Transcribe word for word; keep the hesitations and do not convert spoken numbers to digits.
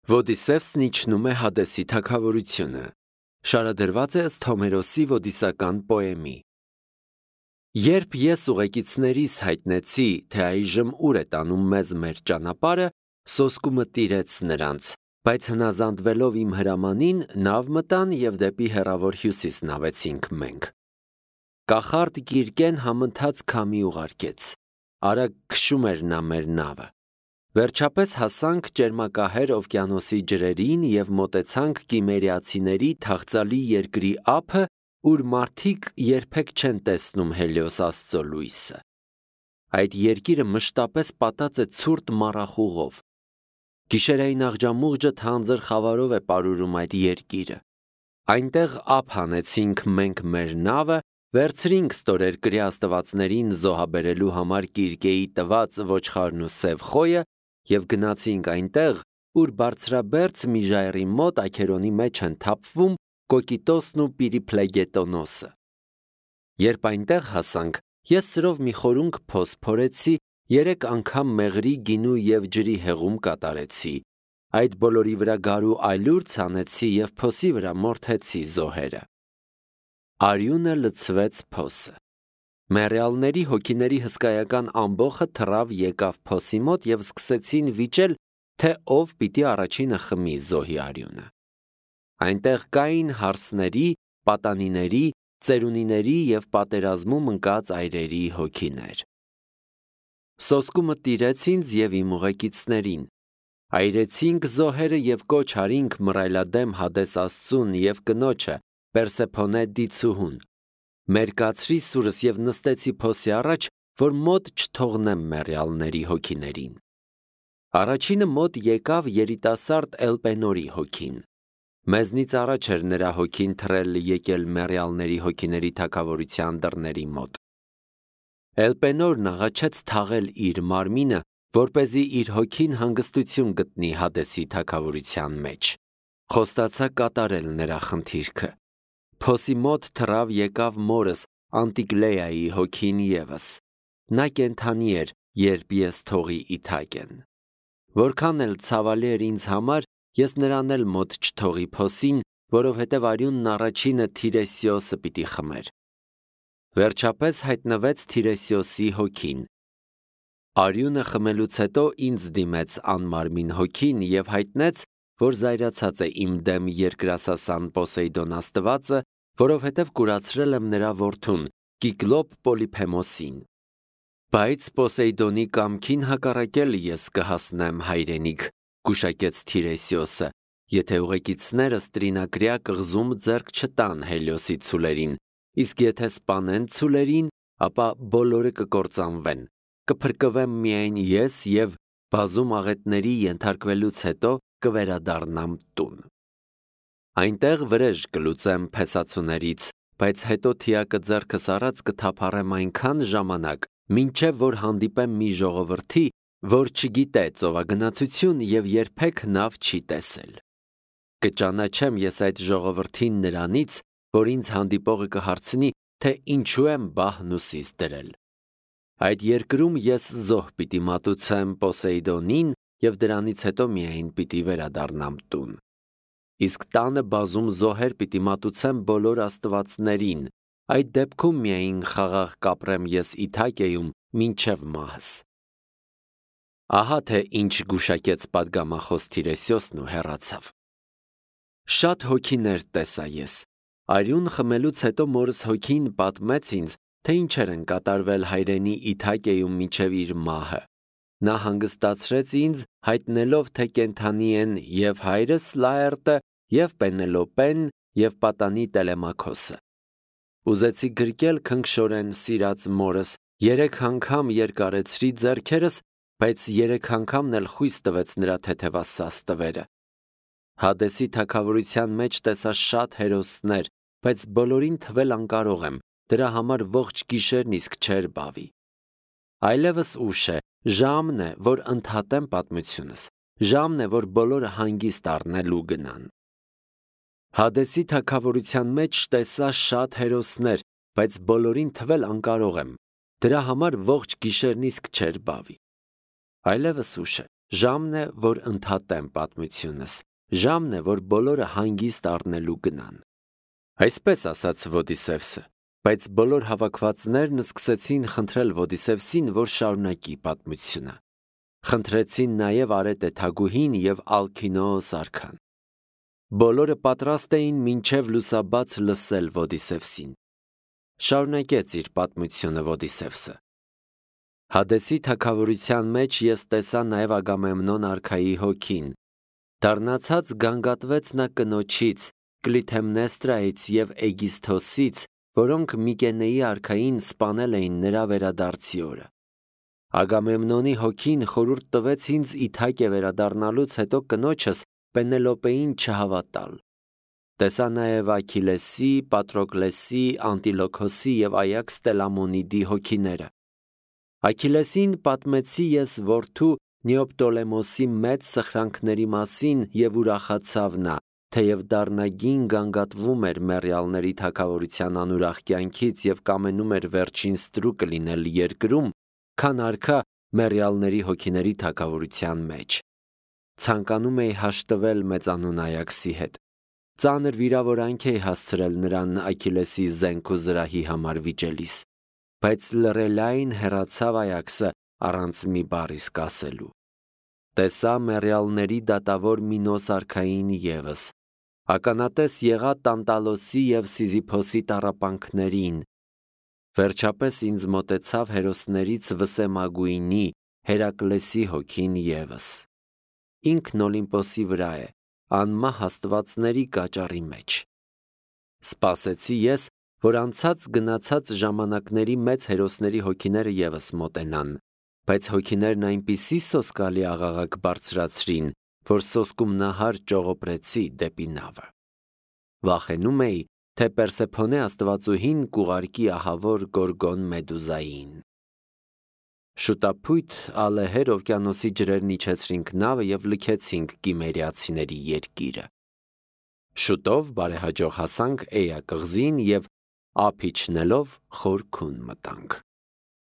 Ոդիսևսն իջնում է Հադեսի թագավորությունը։ Շարադրված է ըստ Հոմերոսի ոդիսական պոեմի։ Երբ ես ուղեկիցներիս հայտնեցի, թե այժմ ուր է տանում մեզ մեր ճանապարհը, սոսկումը տիրեց նրանց, բայց հնազանդվելով իմ հրամանին, նավ մտան և դեպի հեռավոր հյուսիս նավեցինք մենք։ Կախարդ Կիրկեն համընթաց քամի ուղարկեց։ Արագ քշում էր նա մեր նավը։ Վերջապես հասանք ճերմակահեր օվկիանոսի ջրերին և մոտեցանք կիմերիացիների թախծալի երկրի ափը, ուր մարդիկ երբեք չեն տեսնում Հելիոս Աստծո լույսը։ Այդ երկիրը մշտապես պատած է ցուրտ մառախուղով։ Գիշերային աղջամուղջը թանձր խավարով է պարուրում այդ երկիրը։ Այնտեղ ափ հանեցինք մենք մեր նավը, վերցրինք ստորերկրյա աստվածներին զոհաբերելու համար Կիրկեի տված ոչխարն ու սև խոյը և գնացինք այնտեղ, ուր բարձրաբերձ մի ժայռի մոտ աքերոնի մեջ են թափվում Կոկիտոսն ու Պիրիփլեգետոնոսը։ Երբ այնտեղ հասանք, ես սրով մի խորունգ փոս փորեցի, երեք անգամ մեղրի, գինու և ջրի հեղում կատարեցի, այդ բոլորի վրա գարու այլուր ցանեցի և փոսի վրա մորթեցի զոհերը։ Արյունը լցվեց փոսը։ Մեռյալների հոգիների հսկայական ամբոխը թռավ եկավ փոսի մոտ և սկսեցին վիճել, թե ով պիտի առաջինը խմի զոհի արյունը։ Այնտեղ կային հարսների, պատանիների, ծերունիների և պատերազմում ընկած այրերի հոգիներ։ Սոսկումը տիրեց ինձ և իմ ուղեկիցներին։ Այրեցինք զոհերը և կոչ արինք մռայլադեմ Հադես Աստծուն և կնոջը Պերսեփոնե դիցուհուն։ Մերկացրի սուրս և նստեցի փոսի առաջ, որ մոտ չթողնեմ մեռյալների հոգիներին։ Առաջինը մոտ եկավ երիտասարդ Էլպենորի հոգին։ Մեզնից առաջ էր նրա հոգին թռել եկել մեռյալների հոգիների թագավորության դռների մոտ։ Էլպենորն աղաչեց թաղել իր մարմինը, որպեսզի իր հոգին հանգստություն գտնի Հադեսի թագավորության մեջ։ Խոստացա կատարել նրա խնդիրքը։ Փոսի մոտ թռավ եկավ մորս Անտիգլեայի հոգին ևս։ Նա կենդանի էր, երբ ես թողի իթակեն։ Որքան էլ ցավալի էր ինձ համար, ես նրան էլ մոտ չթողի փոսին, որովհետև արյունն առաջինը Թիրեսիոսը պիտի խմեր։ Վերջապես հայտնվեց Թիրեսիոսի հոգին։ Արյունը խմելուց հետո ինձ դիմեց անմարմին հոգին և հայտնեց, որ զայրացած է իմ դեմ երկրասասան Պոսեյդոն աստվածը, որովհետև կուրացրել եմ նրա որդուն Կիկլոպ Պոլիփեմոսին։ Բայց Պոսեյդոնի կամքին հակառակել ես կհասնեմ հայրենիք, գուշակեց Թիրեսիոսը, եթե ուղեկիցներս տրինակրյա կղզում ձեռք չտան Հելիոսի ցուլերին, իսկ եթե սպանեն ցուլերին, ապա բոլորը կկործանվեն, կփրկվեմ միայն ես և բազում աղետների ենթարկվելուց հետո կվերադառնամ տուն։ Այնտեղ վրեժ կլուծեմ փեսացուներից, բայց հետո թիակը ձեռքս առած կթափառեմ այնքան ժամանակ, մինչև որ հանդիպեմ մի ժողովրդի, որ չգիտե ծովագնացություն և երբեք նավ չի տեսել։ Կճանաչեմ ես այդ ժողովրդին նրանից, որ ինձ հանդիպողը կհարցնի, թե ինչու եմ բահն ուսիս դրել։ Այդ երկրում ես զոհ պիտի մատուցեմ Պոսեյդոնին և դրանից հետո միայն պիտի վերադառնամ տուն։ Իսկ տանը բազում զոհեր պիտի մատուցեմ բոլոր աստվածներին, այդ դեպքում միայն խաղաղ կապրեմ ես Իթակեում մինչև մահս։ Ահա թե ինչ գուշակեց պատգամախոս Թիրեսիոսն ու հեռացավ։ Շատ հոգիներ տեսա ես։ Արյուն խմելուց հետո մորս հոգին պատմեց ինձ, թե ինչեր են կատարվել հայրենի Իթակեում մինչև իր մահը։ Նա հանգստացրեց ինձ, հայտնելով, թե կենդանի են և հայրս Լաերտը, և Պենելոպեն, և պատանի Տելեմաքոսը։ Ուզեցի գրկել քնքշորեն սիրած մորս, երեք անգամ երկարեցրի ձեռքերս, բայց երեք անգամն էլ խույս տվեց նրա թեթևասաս տվերը։ Հադեսի թագավորության մեջ տեսա շատ հերոսներ, բայց բոլորին թվել անկարող եմ, դրա համար ողջ գիշերն իսկ չէր բավի։ Այլևս ուշ է, ժամն է, որ ընդհատեմ պատմությունս, ժամն է, որ բոլորը հանգիստ առնելու գնան։ Հադեսի թագավորության մեջ տեսա շատ հերոսներ, բայց բոլորին թվել անկարող եմ, դրա համար ողջ գիշերն իսկ չէր բավի։ Այլևս ուշ է, Ժամն է, որ ընդհատեմ պատմությունս, ժամն է, որ բոլորը հանգիստ առնելու գնան։ Այսպես ասաց Ոդիսևսը, բայց բոլոր հավաքվածներն սկսեցին խնդրել Ոդիսևսին, որ շարունակի պատմությունը։ Խնդրեցին նաև Արետե թագուհին և Ալքինոոս արքան։ Բոլորը պատրաստ էին մինչև լուսաբաց լսել Ոդիսևսին։ Շարունակեց իր պատմությունը Ոդիսևսը։ Հադեսի թագավորության մեջ ես տեսա նաև Ագամեմնոն արքայի հոգին։ Դառնացած գանգատվեց նա կնոջից, Կլիթեմնեստրայից և Էգիսթոսից, որոնք Միկենեի արքային սպանել էին նրա վերադարձի օրը։ Ագամեմնոնի հոգին խորհուրդ տվեց ինձ Իթակե վերադառնալուց հետո կնոջս Պենելոպեին չհավատալ։ Տեսա նաև Աքիլեսի, Պատրոկլեսի, Անտիլոքոսի և Այաքս Տելամոնիդի հոգիները։ Աքիլեսին պատմեցի ես որդու Նեոպտոլեմոսի մեծ սխրանքների մասին և ուրախացավ նա, թեև դառնագին գանգատվում էր մեռյալների թագավորության անուրախ կյանքից և կամենում էր վերջին ստրուկը լինել երկրում, քան արքա մեռյալների հոգիների թագավորության մեջ։ Ցանկանում էի հաշտվել մեծանուն Այաքսի հետ։ Ծանր վիրավորանք էի հասցրել նրան Աքիլեսի զենք ու զրահի համար վիճելիս, բայց լռելային հեռացավ Այաքսը առանց մի բառ իսկ ասելու։ Տեսա մեռյալների դատավոր Մինոս արքային ևս, ականատես եղա Տանտալոսի և Սիզիփոսի տառապանքներին։ Վերջապես ինձ մոտեցավ հերոսներից Վսեմագույնի, Հերակլեսի հոգին ևս։ Ինքն Օլիմպոսի վրա է, անմահ աստվածների կաճառի մեջ։ Սպասեցի ես, որ անցած գնացած ժամանակների մեծ հերոսների հոգիները ևս մոտենան, բայց հոգիներն այնպիսի սոսկալի աղաղակ բարձրացրին, որ սոսկում նահար ճողոպրեցի դեպի նավը։ Վախենում էի, թե Պերսեփոնե աստվածուհին կուղարկի ահավոր Գորգոն Մեդուզային։ Շուտափույթ ալեհեր օվկիանոսի ջրերն իջեցրինք նավը և լքեցինք Կիմերիացիների երկիրը։ Շուտով բարեհաջող հասանք Էյա կղզին և ափ իջնելով խոր քուն մտանք։